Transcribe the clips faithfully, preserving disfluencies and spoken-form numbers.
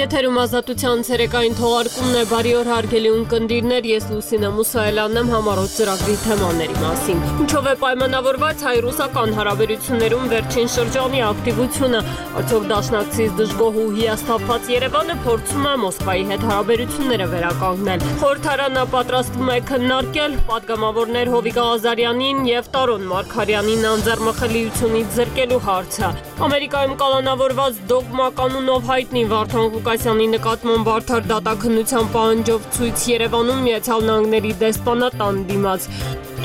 Եթերում ազատության ցերեկային թողարկումն է, բարի օր հարգելի ունկնդիրներ, ես Լուսինե Մուսայելյանն եմ համառոտ ծրագրի թեմաների մասին։ Ինչով է պայմանավորված հայ-ռուսական հարաբերություններում վերջին շրջանի ակտիվությունը, արդյոք դաշնակցից դժգոհ ու հիասթափված Երևանը փորձում է Մոսկվայի հետ հարաբերությունները վերականգնել։ Խորհրդարանը պատրաստվում է քննարկել պատգամավորներ Հովիկ Ղազարյանին եւ Տարոն Մարգարյանին անձեռնմխելիությունից զրկելու հարցը։ Ամերիկայում կալանավորված դոգմա կանունով հայտնի Վարդան Ղուկասյանի նկատմամբ բարդար դատաքննության պահանջով ցույց Երևանում Միացյալ Նահանգների դեսպանատան դիմաց։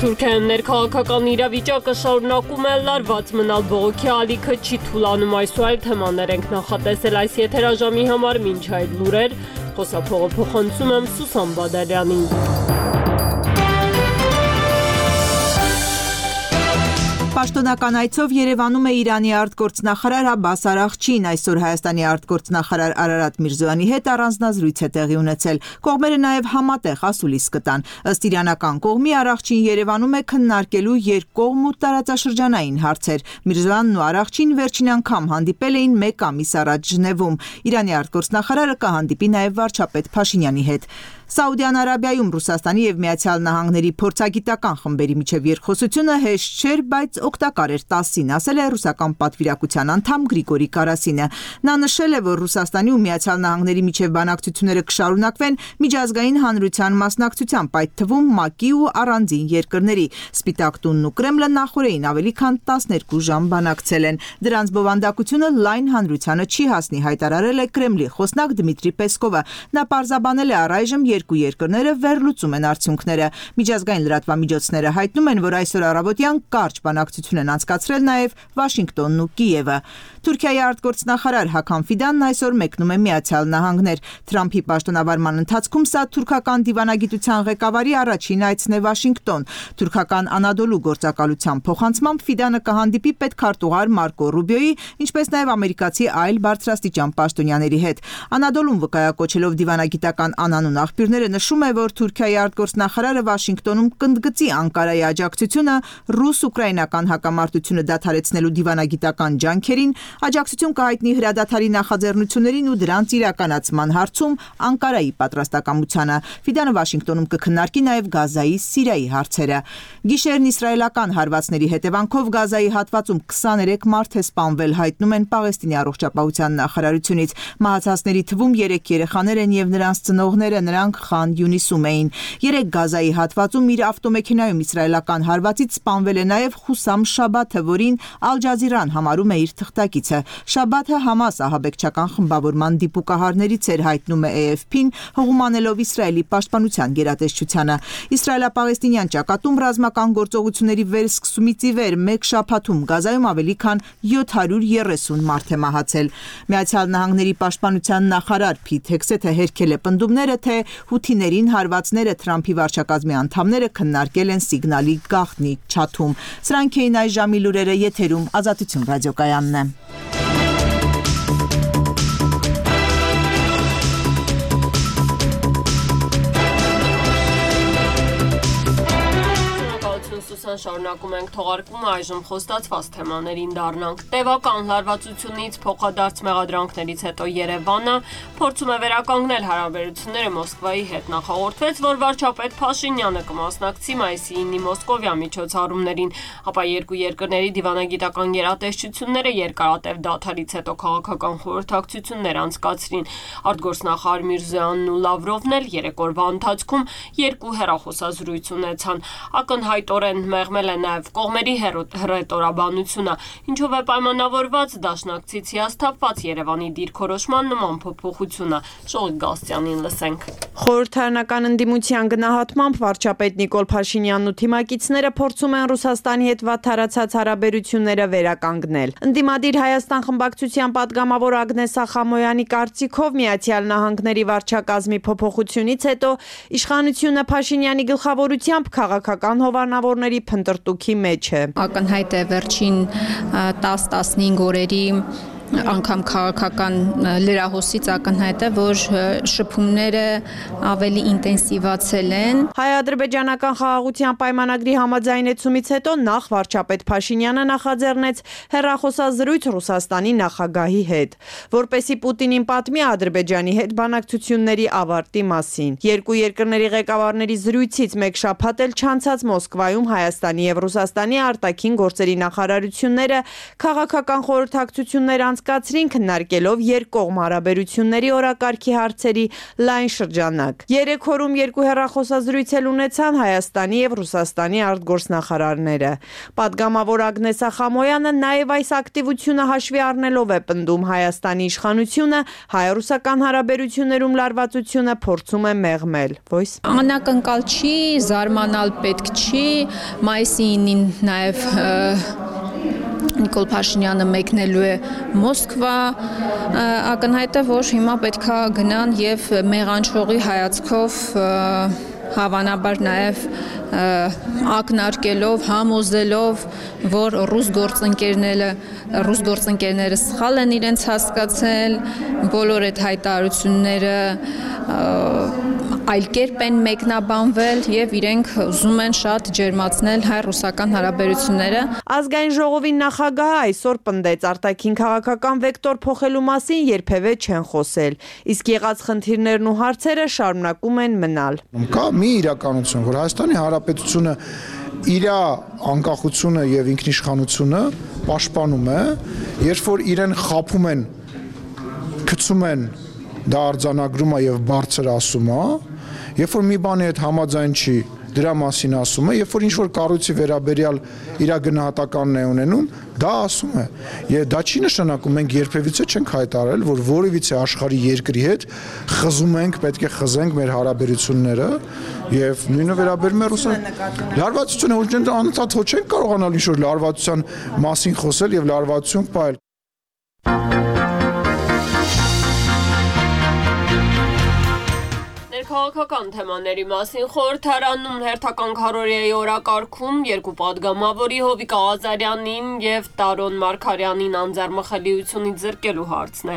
Թուրքիայում ներքաղաքական իրավիճակը շարունակում է լարված մնալ, բողոքի ալիքը չի թուլանում, այսօր այլ թեմաներ ենք նախատեսել այս եթերաժամի համար, մինչ այդ լուրեր, խոսափողը փոխանցում եմ Սուսան Բադալյանին։ Պաշտոնական այցով Երևանում է Իրանի արտգործնախարար Աբբաս Արաղչին, այսօր Հայաստանի արտգործնախարար Արարատ Միրզոյանի հետ առանձնազրույց է տեղի ունեցել։ Կողմերը նաև համատեղ ասուլիս կտան։ Ըստ իրանական կողմի Արաղչին Երևանում է քննարկելու երկկողմ ու տարածաշրջանային հարցեր։ Միրզոյանն ու Արաղչին վերջին անգամ հանդիպել էին մեկ ամիս առաջ Ժնևում։ Իրանի արտգործնախարարը կհանդիպի նաև վարչապետ Փաշինյանի հետ։ Սաուդյան Արաբիայում Ռուսաստանի եւ Միացյալ Նահանգների փորձագիտական խմբերի միջև երկխոսությունը հեշտ չէր, բայց օգտակար էր տասին, ասել է ռուսական պատվիրակության անդամ Գրիգորի Կարասինը։ Նա նշել է, որ Ռուսաստանի ու Միացյալ Նահանգների միջև բանակցությունները կշարունակվեն միջազգային հանրության մասնակցությամբ, այդ թվում ՄԱԿ-ի ու առանձին երկրների։ Սպիտակ տունն ու Կրեմլը նախորդին ավելի քան տասներկու ժամ բանակցել են։ Դրանց բովանդակությունը լայն հանրությանը չի հասնի, հայտարարել է Կրեմլի խոսնակ Դմիտրի Պեսկովը։ Նա պարզաբանել է առայժմ երկու երկրները վերլուծում են արդյունքները։ Միջազգային լրատվամիջոցները հայտնում են, որ այսօր առավոտյան կարճ բանակցություն են անցկացրել նաև Վաշինգտոնն ու Կիևը։ Թուրքիայի արտգործնախարար Հական Ֆիդանն այսօր մեկնում է Միացյալ Նահանգներ։ Թրամփի պաշտոնավարման ընթացքում սա թուրքական դիվանագիտության ղեկավարի առաջին այցն է Վաշինգտոն։ Թուրքական Անադոլու գործակալության փոխանցմամբ Ֆիդանը կհանդիպի պետքարտուղար Մարկո Ռուբիոյի, ինչպես նաև ամերիկացի այլ բարձրաստիճան պաշտոնյաների հետ։ Անադոլուն վկայակոչելով դիվանագիտական անանուն աղբյուրները նշում է, որ Թուրքիայի արտգործնախարարը Վաշինգտոնում կընդգծի Անկարայի աջակցությունը ռուս-ուկրաինական հակամարտությունը դադարեցնելու դիվանագիտական ջանքերին, աջակցություն կհայտնի հրադադարի նախաձեռնություններին ու դրանց իրականացման հարցում Անկարայի պատրաստակամությանը։ Ֆիդանը Վաշինգտոնում կքննարկի նաև Գազայի, Սիրիայի հարցերը։ Գիշերն իսրայելական հարվածների հետևանքով Գազայի հատվածում քսաներեք մարդ է սպանվել, հայտնում են Պաղեստինի առողջապահության նախարարությունից։ Մահացածների թվում երեք երեխաներ են եւ նրանց ծնողները, նրանք Խան Յունիսում էին։ Երեք Գազայի հատվածում իր ավտոմեքենայում իսրայելական հարվածից սպանվել է նաև Խուսամ Շաբաթը, որին Ալ Ջազիրան համարում է իր թղթակիցը։ Շաբաթը Համաս ահաբեկչական խմբավորման դիպուկահարներից էր, հայտնում է A F P-ն, հղումանելով Իսրայելի պաշտպանության գերատեսչությանը։ Իսրայելա-պաղեստինյան ճակատում ռազմական գործողությունների վերսկսումից ի վեր մեկ շաբաթում Գազայում ավելի քան յոթ հարյուր երեսուն մարդ է մահացել։ Միացյալ Նահանգների պաշտպանության նախարար Փիթ Հեքսեթը հերքել է պնդումները, թե հութիներին հարվածները Թրամփի վարչակազմի անդամները քննարկել են սիգնալի գաղտնի չաթում։ Սրանք էին այս ժամի լուրերը, եթերում Ազատություն ռադիոկայանն է։ Շարունակում ենք թողարկումը, այժմ խոստացված թեմաներին դառնանք։ Տևական լարվածությունից փոխադարձ մեղադրանքներից հետո Երևանը փորձում է վերականգնել հարաբերությունները Մոսկվայի հետ։ Նախորդվեց, որ վարչապետ Փաշինյանը կմասնակցի մայիսի ինը Մոսկովյան միջոցառումներին, ապա երկու երկրների դիվանագիտական գերատեսչությունները երկարատև դադարից հետո քաղաքական խորհրդակցություններ անցկացրին։ Արտգործնախարար Միրզոյանն ու Լավրովն էլ երեք օրվա ընթացքում երկու հեռախոսազրույց ունեցան։ Ակնհայտորեն մեղմել է նաև կողմերի հռետորաբանությունը, ինչով է պայմանավորված դաշնակցից հիասթափված Երևանի դիրքորոշման նման փոփոխությունը։ Շողիկ Գալստյանին լսենք։ Խորհրդարանական ընդդիմության գնահատմամբ վարչապետ Նիկոլ Փաշինյանն ու թիմակիցները փորձում են Ռուսաստանի հետ վատթարացած հարաբերությունները վերականգնել։ Ընդդիմադիր Հայաստան խմբակցության պատգամավոր Ագնես Ախամոյանի կարծիքով Միացյալ Նահանգների վարչակազմի փոփոխությունից հետո իշխանությունը Փաշինյանի գլխավորությամբ քաղաքական հովանավորների փնտրտուքի մեջ է։ Ակնհայտ է վերջին տասը տասնհինգ օրերի անգամ քաղաքական լրահոսից ակնհայտ է, որ շփումները ավելի ինտենսիվացել են։ Հայ-ադրբեջանական խաղաղության պայմանագրի համաձայնեցումից հետո նախ վարչապետ Փաշինյանը նախաձեռնեց հեռախոսազրույց Ռուսաստանի նախագահի հետ, որպեսզի Պուտինին պատմի Ադրբեջանի հետ բանակցությունների ավարտի մասին։ Երկու երկրների ղեկավարների զրույցից մեկ շաբաթ էլ չանցած Մոսկվայում Հայաստանի եւ Ռուսաստանի արտաքին գործերի նախարարությունները քաղաքական խորհրդակցություններ անցկացրին, քննարկելով երկկողմ հարաբերությունների օրակարգի հարցերի լայն շրջանակ։ Երեք օրում երկու հեռախոսազրույց էլ ունեցան Հայաստանի եւ Ռուսաստանի արտգործնախարարները։ Պատգամավոր Ագնես Խամոյանը նաեւ այս ակտիվությունը հաշվի առնելով է պնդում Հայաստանի իշխանությունը հայ-ռուսական հարաբերություններում լարվածությունը փորձում է մեղմել։ Voice Անակնկալ չի, զարմանալ պետք չի, մայիսի ինին նաև Նիկոլ Փաշինյանը մեկնելու է Մոսկվա, ակնհայտ է, որ հիմա պետքա գնան եւ մեղանչողի հայացքով հավանաբար նաև ակնարկելով, համոզելով, որ ռուս գործընկերները, ռուս գործընկերները սխալ են իրենց հասկացել, բոլոր այդ հայտարարությունները այլ կերպ են մեկնաբանվել եւ իրենք ուզում են շատ ջերմացնել հայ-ռուսական հարաբերությունները։ Ազգային ժողովի նախագահը այսօր պնդեց արտաքին քաղաքական վեկտոր փոխելու մասին երբևէ չեն խոսել, իսկ եղած խնդիրներն ու հարցերը շարունակում են մնալ։ Կա մի իրականություն, որ Հայաստանի Հանրապետությունը իր անկախությունը եւ ինքնիշխանությունը պաշտպանում է, երբ որ իրեն խափում են, գցում են, դա արձանագրում է եւ բարձր ասում է, երբ որ մի բանի հետ համաձայն չի, դրա մասին ասում է, երբ որ ինչ-որ կառույցի վերաբերյալ իր գնահատականն է ունենում, դա ասում է։ Եվ դա չի նշանակում մենք երբևիցե չենք հայտարարել, որ որևիցե աշխարհի երկրի հետ խզում ենք, պետք է խզենք մեր հարաբերությունները, եւ նույնը վերաբերում է Ռուսաստան։ Լարվածությունը ոչ անընդհատ ոչ չենք կարողանալ ինչ-որ լարվածության մասին խոսել եւ լարվածություն պահել։ Քաղաքական թեմաների մասին խորհրդարանում հերթական քարոզիայի օրակարգում երկու պատգամավորի Հովիկ Աղազարյանին եւ Տարոն Մարգարյանին անձեռմխելիությունից զրկելու հարցն է։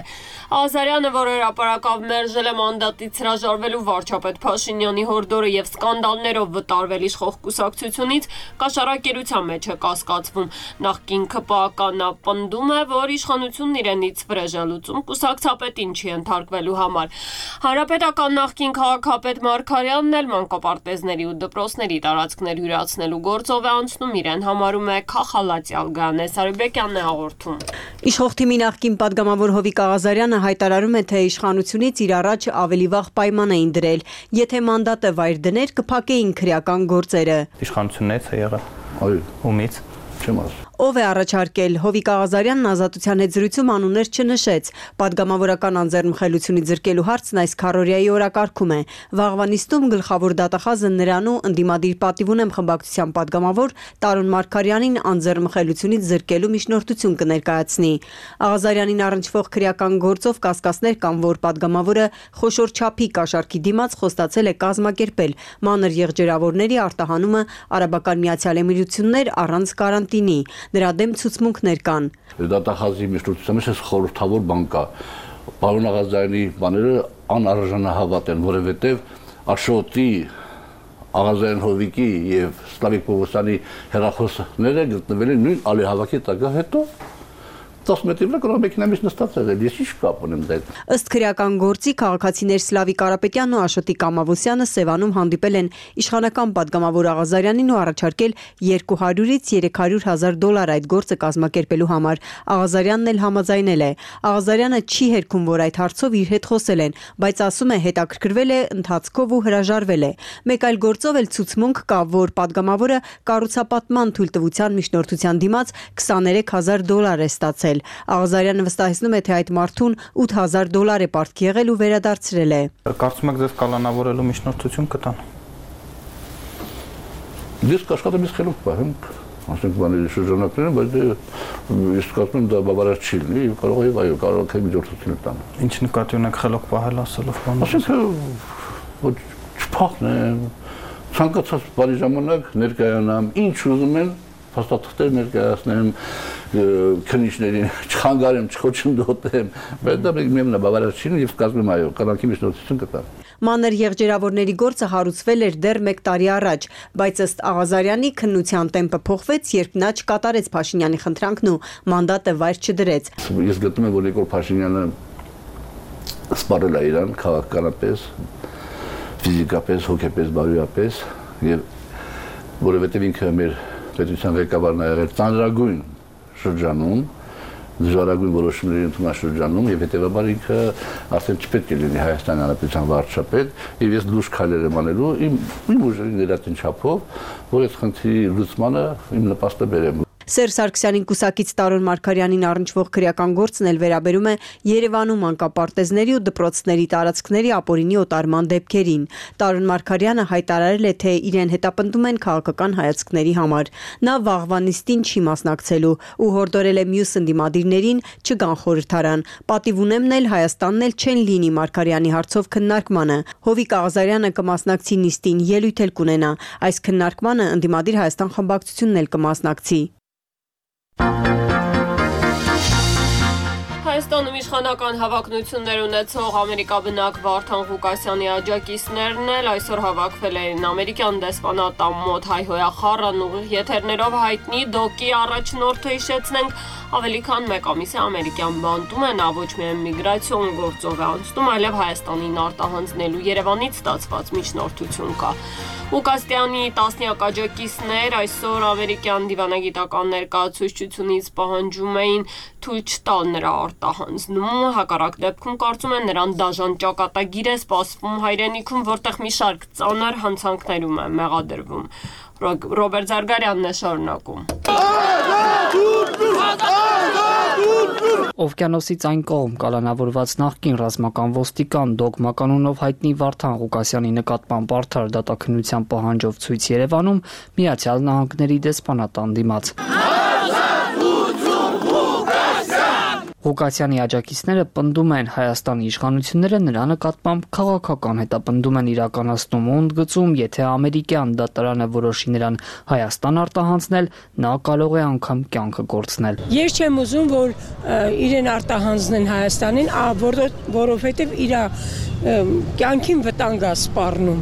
Աղազարյանը, որ հրապարակավ մերժել է մանդատից հրաժարվելու վարչապետ Փաշինյանի հորդորը եւ սկանդալներով վտարվել իշխող կուսակցությունից, կաշառակերության մեջ է կասկածվում։ Նախկին ԿՊԱ-ականն պնդում է, որ իշխանությունն իրենից վրեժելուծում կուսակցապետին չի ընթարկվելու համար։ Հանրապետական նախկին քաղաքապետ Մարգարյանն էլ մանկապարտեզների ու դպրոցների տարածքներ յուրացնելու գործով է անցնում, իրեն համարում է քախալացյալ Գանե Սարիբեկյանն է հաղորդում։ Իշխող թիմի նախկին պատգամավոր Հովիկ Աղազարյանը հայտարարում է, թե իշխանությունից իր առաջ ավելի վաղ պայման էին դրել, եթե մանդատը վայր դներ, կփակեին քրեական գործերը։ Իշխանությունից է եղել։ Այո, ումից չեմ ասում։ Ով է առաջարկել։ Հովիկ Աղազարյանն Ազատության հետ զրույցում անուններ չնշեց։ Պատգամավորական անձեռնմխելությունից զրկելու հարցն այս քարոզիայի օրակարգում է։ Վաղվա նիստում գլխավոր դատախազը նրան ու ընդդիմադիր պատիվ ունեմ խմբակցության պատգամավոր Տարոն Մարգարյանին անձեռնմխելությունից զրկելու միջնորդություն կներկայացնի։ Աղազարյանին առնչվող քրեական գործով կասկածներ կան, որ պատգամավորը խոշոր չափի կաշառքի դիմաց խոստացել է կազմակերպել մանր եղջերավորների արտահանումը Արաբական Միացյալ Էմիրություններ առանց կարանտինի։ Նրա դեմ ցուցմունքներ կան։ Դատախազի միջնորդության մեջ խորհրդավոր բան կա։ Պարոն Աղազարյանի բաները անարժանահավատ են, որովհետև Աշոտի, Աղազարյան Հովիկի եւ Սլավիկ Պողոսյանի հեռախոսները գտնվել են նույն ալիհավաքի տակ հետո տասը մետրի վրա կարող մեքենայից նստած եղել, ես ինչ կապ ունեմ դա։ Ըստ քրեական գործի քաղաքացիներ Սլավիկ Կարապետյանն ու Աշոտի Կամավոսյանը Սևանում հանդիպել են իշխանական պատգամավոր Աղազարյանին ու առաջարկել երկու հարյուրից երեք հարյուր հազար դոլար այդ գործը կազմակերպելու համար։ Աղազարյանն էլ համաձայնել է։ Աղազարյանը չի հերքում, որ այդ հարցով իր հետ խոսել են, բայց ասում է հետաքրքրվել է ընթացքով ու հրաժարվել է։ Մեկ այլ գործով էլ ցուցմունք կա, որ պատգամավորը կառուցապատման թույլտվության միջնորդության դիմաց քսաներեք հազար դոլար է ստացել։ Աղազարյանը վստահեցնում է, թե այդ մարդուն ութ հազար դոլար է պարտքի եղել ու վերադարձրել է։ Կարծում եք ձեզ կալանավորելու միջնորդություն կտան։ Ես կաշխատեմ ես խելոք պահեմ, ասենք բաների շրջանակներում, բայց ես կարծում եմ դա բավարար չի լինի, կարող է այո, կարող է միջնորդություն տան։ Ինչ նկատի ունեք խելոք պահել ասելով բանը։ Ասենք ոչ չփախնեմ, ցանկացած բանի ժամանակ ներկայանամ, ինչ ուզում են փաստաթղթեր ներկայացնեմ, քննիչներին չխանգարեմ, չխոչընդոտեմ, բայց դա միևնույն է բավարար չի եւ կազմում այո, կանանքի միջնորդություն կտա։ Մանր եղջերավորների գործը հարուցվել էր դեռ մեկ տարի առաջ, բայց ըստ Աղազարյանի քննության տեմպը փոխվեց, երբ նա չկատարեց Փաշինյանի խնդրանքն ու մանդատը վայր չդրեց։ Ես գտնում եմ, որ Նիկոլ Փաշինյանը սպառել է իրան քաղաքականապես, ֆիզիկապես, հոգեպես, բարոյապես եւ որովհետեւ ինքը մեր պետության ղեկավարն է եղել ծանրագույն շրջանում, դժվարագույն որոշումների ընդունաշրջանում եւ հետեւաբար ինքը արդեն չպետք է լինի Հայաստանի Հանրապետության վարչապետ եւ ես լուրջ քայլեր եմ անելու իմ իմ ուժերի ներածին չափով, որ այդ խնդրի լուծմանը իմ նպաստը բերեմ։ Սերժ Սարգսյանին կուսակից Տարոն Մարգարյանին առնչվող քրեական գործն էլ վերաբերում է Երևանում մանկապարտեզների ու դպրոցների տարածքների ապօրինի օտարման դեպքերին։ Տարոն Մարգարյանը հայտարարել է, թե իրեն հետապնդում են քաղաքական հայացքների համար։ Նա վաղվա նիստին չի մասնակցելու ու հորդորել է մյուս ընդդիմադիրներին չգան խորհրդարան։ Պատիվ ունեմն էլ Հայաստանն էլ չեն լինի Մարգարյանի հարցով քննարկմանը։ Հովիկ Աղազարյանը կմասնակցի նիստին, ելույթ էլ կունենա։ Այս քննարկմանը ընդդիմադիր Հայաստան խմբակցությունն էլ կմասնակցի։ Հայաստանում իշխանական հավակնություններ ունեցող ամերիկաբնակ Վարդան Ղուկասյանի աջակիցներն էլ այսօր հավաքվել էին ամերիկյան դեսպանատան մոտ հայհոյախառն ուղիղ եթերներով հայտնի Դոկի առաջնորդը հիշեցնենք ավելի քան մեկ ամիս է ամերիկյան բանտում է, նա ոչ միայն միգրացիոն գործով է անցնում, այլև Հայաստանին արտահանձնելու Երևանից ստացված միջնորդություն կա։ Ղուկասյանի տասնյակ աջակիցներ այսօր ամերիկյան դիվանագիտական ներկայացուցչությունից պահանջում էին թույլ չտալ նրա արտահանձնում, հակառակ դեպքում կարծում են նրան դաժան ճակատագիր է սպասվում հայրենիքում, որտեղ մի շարք ծանր հանցանքներում է մեղադրվում։ Ռոբերտ Զարգարյանն է շարունակում։ Օվկիանոսից այն կողմ կալանավորված նախկին ռազմական ոստիկան Դոգմա կանոնով հայտնի Վարդան Ղուկասյանի նկատմամբ արդար դատաքննության պահանջով ցույց Երևանում Միացյալ Նահանգների դեսպանատան դիմաց։ Ղուկասյանի աջակիցները պնդում են Հայաստանի իշխանությունները նրա նկատմամբ քաղաքական հետապնդում են իրականացնում ու ընդգծում, եթե ամերիկյան դատարանը որոշի նրան Հայաստան արտահանձնել, նա կարող է անգամ կյանքը կորցնել։ Ես չեմ ուզում, որ իրեն արտահանձնեն Հայաստանին, որովհետև իր կյանքին վտանգ է սպառնում։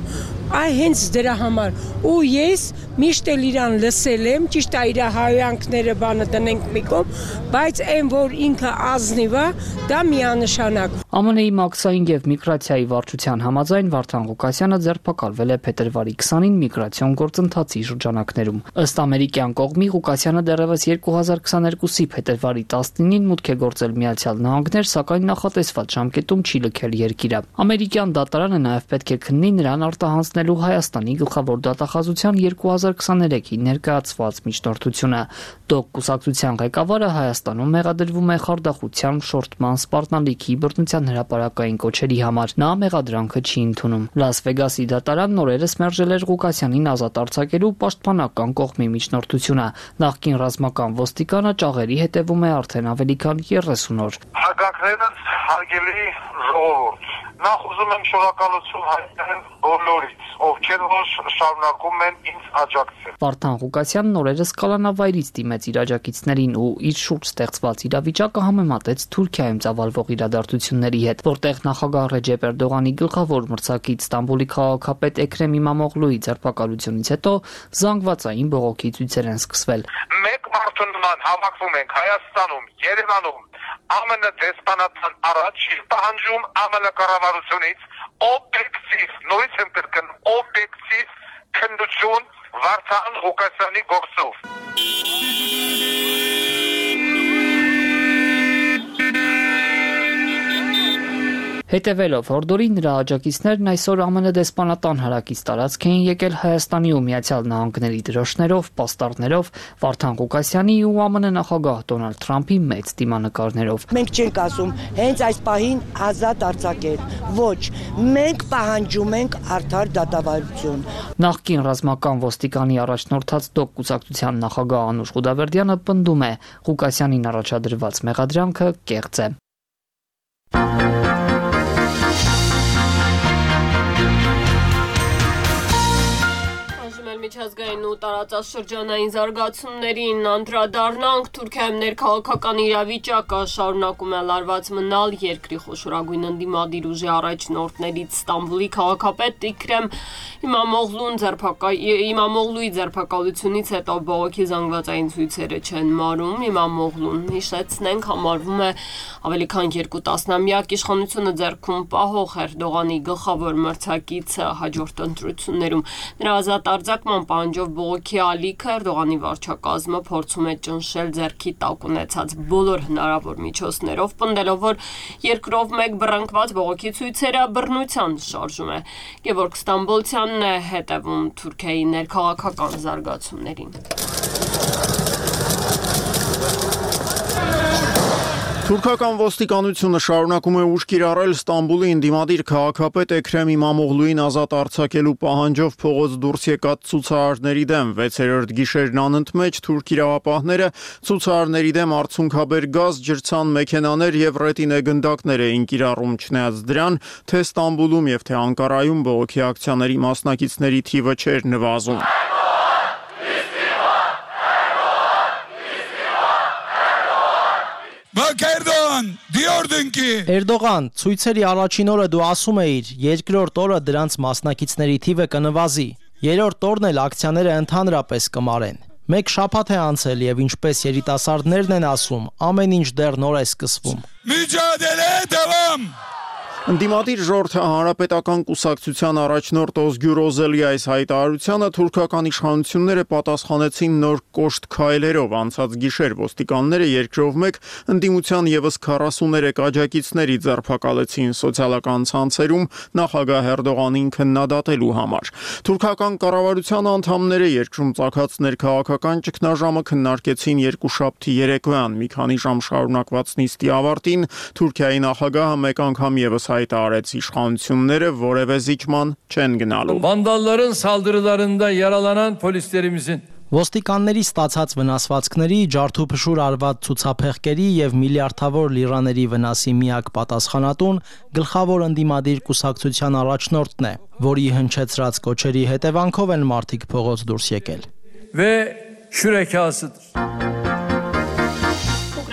Այ հենց դրա համար ու ես միշտ էլ իրան լսել եմ, ճիշտ է իր հայանքները բանը դնենք մի կողմ, բայց այն որ ինքը ազնիվ է, դա միանշանակ։ ԱՄՆ-ի մաքսային եւ միգրացիայի վարչության համաձայն Վարդան Ղուկասյանը ձերբակալվել է փետրվարի քսանին միգրացիոն գործընթացի շրջանակներում։ Ըստ ամերիկյան կողմի Ղուկասյանը դեռևս երկու հազար քսաներկուսի փետրվարի տասնինին մուտք է գործել Միացյալ Նահանգներ, սակայն նախատեսված ժամկետում չի լքել երկիրը։ Ամերիկյան դատարանը նաեւ պետք է քննի նրան արտահանձնել Հայաստանի գլխավոր դատախազության երկու հազար քսաներեքի ներկայացված միջնորդությունը։ Դոկ կուսակցության ղեկավարը Հայաստանում մեղադրվում է խարդախության, շորթման, սպառնալիքի, բռնության հրապարակային կոչերի համար։ Նա մեղադրանքը չի ընդունում։ Լաս Վեգասի դատարանն օրերս մերժել էր Ղուկասյանին ազատ արձակելու պաշտպանական կողմի միջնորդությունը։ Նախկին ռազմական ոստիկանը ճաղերի հետևում է արդեն ավելի քան երեսուն օր։ Հարգանքներս հարգելի ժողովուրդ, նախ ուզում եմ շնորհակալություն հայտնել բոլորից, ովքեր որ շարունակում են ինձ աջակցել։ Վարդան Ղուկասյանն օրերս կալանավայրից դիմեց իր աջակիցներին ու իր շուրջ ստեղծված իրավիճակը համեմատեց Թուրքիայում ծավալվող իրադարձությունների հետ, որտեղ նախագահ Ռեջեփ Էրդողանի գլխավոր մրցակից Ստամբուլի քաղաքապետ Էքրեմ İmamoğlu'ի ձերբակալությունից հետո զանգվածային բողոքի ցույցեր են սկսվել։ Մեկ մարդու նման հավաքվում ենք Հայաստանում, Երևանում, ԱՄՆ դեսպանատան առաջ պահանջում ԱՄՆ կառավարությունից օբյեկտիվ, նույնիսկ եմ կրկնում, օբյեկտիվ քննություն Վարդան Ղուկասյանի գործով։ Հետևելով հորդորի նրա աջակիցներն այսօր ԱՄՆ դեսպանատան հարակից տարածք էին եկել Հայաստանի ու Միացյալ Նահանգների դրոշներով, պաստառներով, Վարդան Ղուկասյանի ու ԱՄՆ նախագահ Դոնալդ Թրամփի մեծ դիմանկարներով։ Մենք չենք ասում հենց այս պահին ազատ արձակել, ոչ, մենք պահանջում ենք արդար դատավարություն։ Նախկին ռազմական ոստիկանի առաջնորդած Դոկ կուսակցության նախագահ Անուշ Ղուդավերդյանը պնդում է, Ղուկասյանին առաջադրված մեղադրանքը կեղծ է։ միջազգային ու տարածաշրջանային զարգացումներին անդրադառնանք։ Թուրքիայում ներքաղաքական իրավիճակը շարունակում է լարված մնալ։ Երկրի խոշորագույն ընդդիմադիր ուժի առաջնորդներից Ստամբուլի քաղաքապետ Իքրեմ Իմամօղլուն Իմամօղլուի ձերբակալությունից հետո բողոքի զանգվածային ցույցերը չեն մարում։ Իմամօղլուն, հիշեցնենք, համարվում է ավելի քան երկու տասնամյակ իշխանությունը ձեռքում պահող Էրդողանի գլխավոր մրցակիցը հաջորդ ընտրություններում։ Նրա ազատ արձակման պահանջով բողոքի ալիքը Էրդողանի վարչակազմը փորձում է ճնշել ձեռքի տակ ունեցած բոլոր հնարավոր միջոցներով, պնդելով, որ երկրով մեկ բռնկված բողոքի ցույցերը բռնության շարժում է։ Գևորգ Ստամբոլցյանն է հետևում Թուրքիայի ներքաղաքական զարգացումներին։ Թուրքական ոստիկանությունը շարունակում է ուժ կիրառել Ստամբուլի ընդդիմադիր քաղաքապետ Էքրեմ Իմամօղլուին ազատ արձակելու պահանջով փողոց դուրս եկած ցուցարարների դեմ։ վեցերորդ գիշերն անընդմեջ թուրք իրավապահները ցուցարարների դեմ արցունքաբեր գազ, ջրցան մեքենաներ եւ ռետինե գնդակներ էին կիրառում, չնայած դրան, թե Ստամբուլում եւ թե Անկարայում բողոքի ակցիաների մասնակիցների թիվը չէր նվազում։ Էրդողան, ցույցերի առաջին օրը դու ասում էիր, երկրորդ օրը դրանց մասնակիցների թիվը կնվազի, երրորդ օրն էլ ակցիաները ընդհանրապես կմարեն։ Մեկ շաբաթ է անցել եւ ինչպես երիտասարդներն են ասում, ամեն ինչ դեռ նոր է սկսվում։ Ընդդիմադիր ժողովրդի հանրապետական կուսակցության առաջնորդ Օզգյուր Օզելիայիս հայտարարությանը թուրքական իշխանությունները պատասխանեցին նոր կոշտ քայլերով։ Անցած գիշեր ոստիկանները երկրով մեկ ընդդիմության եւս քառասուներեք աջակիցների ձերբակալեցին սոցիալական ցանցերում նախագահ Էրդողանին քննադատելու համար։ Թուրքական կառավարության անդամները երկրում ծագած ներքաղաքական ճգնաժամը քննարկեցին երկուշաբթի երեկոյան։ Մի քանի ժամ շարունակված նիստի ավարտին Թուրքիայի նախագահը մեկ անգամ եւս հայտարարեց իշխանությունները որևէ զիջման չեն գնալու։ Vandalların saldırılarında yaralanan polislerimizin Ոստիկանների ստացած վնասվածքների, ջարդուփշուր արված ցուցափեղկերի եւ միլիարդավոր լիրաների վնասի միակ պատասխանատուն գլխավոր ընդդիմադիր կուսակցության առաջնորդն է, որի հնչեցրած կոչերի հետևանքով են մարդիկ փողոց դուրս եկել։ Ve şürekasıdır.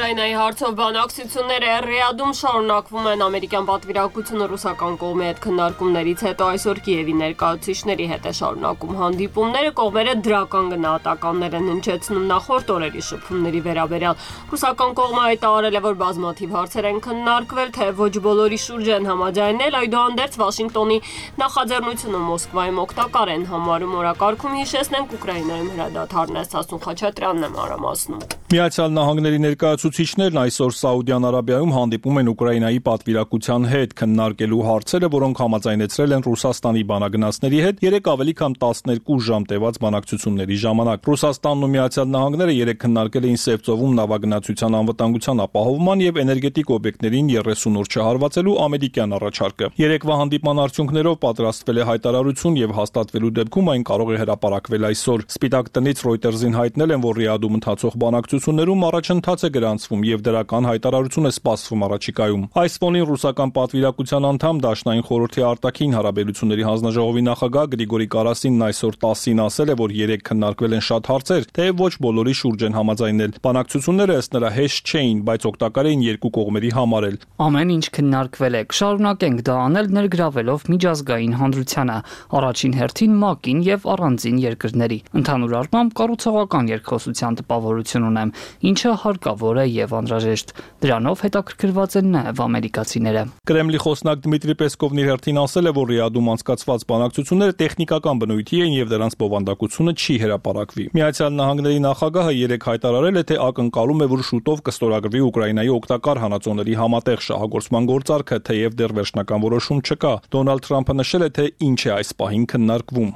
Ուկրաինայի հարցով բանակցությունները Ռիադում շարունակվում են։ Ամերիկյան պատվիրակությունը ռուսական կողմի հետ քննարկումներից հետո այսօր Կիևի ներկայացուցիչների հետ է շարունակում հանդիպումները։ Կողմերը դրական գնահատականներ են հնչեցնում նախորդ օրերի շփումների վերաբերյալ։ Ռուսական կողմը հայտարարել է, որ բազմաթիվ հարցեր են քննարկվել, թե ոչ բոլորի շուրջ են համաձայնել, այդուհանդերձ Վաշինգտոնի նախաձեռնությունը Մոսկվայում օգտակար են համարում։ Օրակարգում հիշեցնենք Ուկրաինայում հրադադարն է Սասուն Խաչատրյանն է մանրամասնում։ Միացյալ Նահանգների ներկայացուցիչներն այսօր Սաուդյան Արաբիայում հանդիպում են Ուկրաինայի պատվիրակության հետ քննարկելու հարցերը, որոնք համաձայնեցրել են Ռուսաստանի բանագնացների հետ երեք ավելի քան տասներկու ժամ տևած բանակցությունների ժամանակ։ Ռուսաստանն ու Միացյալ Նահանգները երեք քննարկել էին Սևծովում նավագնացության անվտանգության ապահովման եւ էներգետիկ օբյեկտներին երեսուն օր չհարվածելու ամերիկյան առաջարկը։ Երեկվա հանդիպման արդյունքներով պատրաստվել է հայտարարություն եւ հաստատվելու դեպքում այն կարող է հրապարակվել այսօր։ Սպիտակ տնից Reuters-ին հայտնել են, որ Ռիադում ընթացող բանակցություններում առաջընթաց է գրանցվում եւ դրական հայտարարություն է սպասվում առաջիկայում։ Այս ֆոնին ռուսական պատվիրակության անդամ Դաշնային խորհրդի արտաքին հարաբերությունների հանձնաժողովի նախագահ Գրիգորի Կարասինն այսօր տասին ասել է, որ երեք քննարկվել են շատ հարցեր, թեև ոչ բոլորի շուրջ են համաձայնել։ Բանակցությունները ըստ նրա հեշտ չէին, բայց օգտակար էին երկու կողմերի համար էլ։ Ամեն ինչ քննարկվել է, կշարունակենք դա անել ներգրավելով միջազգային հանրությանը, առաջին հերթին ՄԱԿ-ին եւ առանձին երկրների։ Ընդհանուր առմամբ կառուցողական երկխոսության տպավորություն ունեմ, ինչը հարկավոր է եւ անհրաժեշտ։ Դրանով հետաքրքրված են նաեւ ամերիկացիները։ Կրեմլի խոսնակ Դմիտրի Պեսկովն իր հերթին ասել է, որ Ռիադում անցկացված բանակցությունները տեխնիկական բնույթի են եւ դրանց բովանդակությունը չի հրապարակվի։ Միացյալ Նահանգների նախագահը երեք հայտարարել է, թե ակնկալում է, որ շուտով կստորագրվի Ուկրաինայի օգտակար հանածոների համատեղ շահագործման գործարքը, թեև դեռ վերջնական որոշում չկա։ Դոնալդ Թրամփը նշել է, թե ինչ է այս պահին քննարկվում։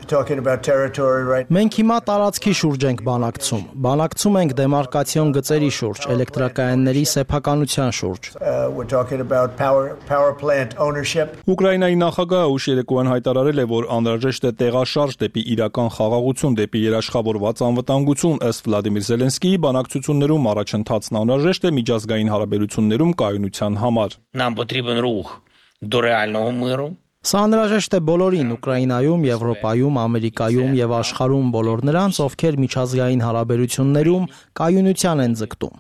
Մենք հիմա տարածքի շուրջ ենք բանակցում։ Բանակցում ենք դեմարկացիոն գծերի շուրջ, էլեկտրակայանների սեփականության շուրջ։ Ուկրաինայի նախագահը ուշ երեկոյան հայտարարել է, որ անհրաժեշտ է տեղաշարժ դեպի իրական խաղաղություն, դեպի երաշխավորված անվտանգություն։ Ըստ Վլադիմիր Զելենսկիի բանակցություններում առաջընթացն անհրաժեշտ է միջազգային հարաբերություններում կայունության համար։ Нам потрібен рух до реального миру. Սա անհրաժեշտ է բոլորին՝ Ուկրաինայում, Եվրոպայում, Ամերիկայում եւ աշխարհում բոլոր նրանց, ովքեր միջազգային հարաբերություններում կայունության են ձգտում։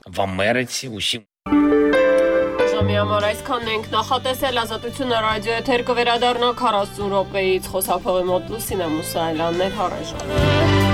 Ժամի համար այսքանն ենք նախատեսել Ազատությունը ռադիո եթեր կվերադառնա քառասուն րոպեից խոսափողի մոտ Լուսինե Մուսայելյանն էր, հառեժան։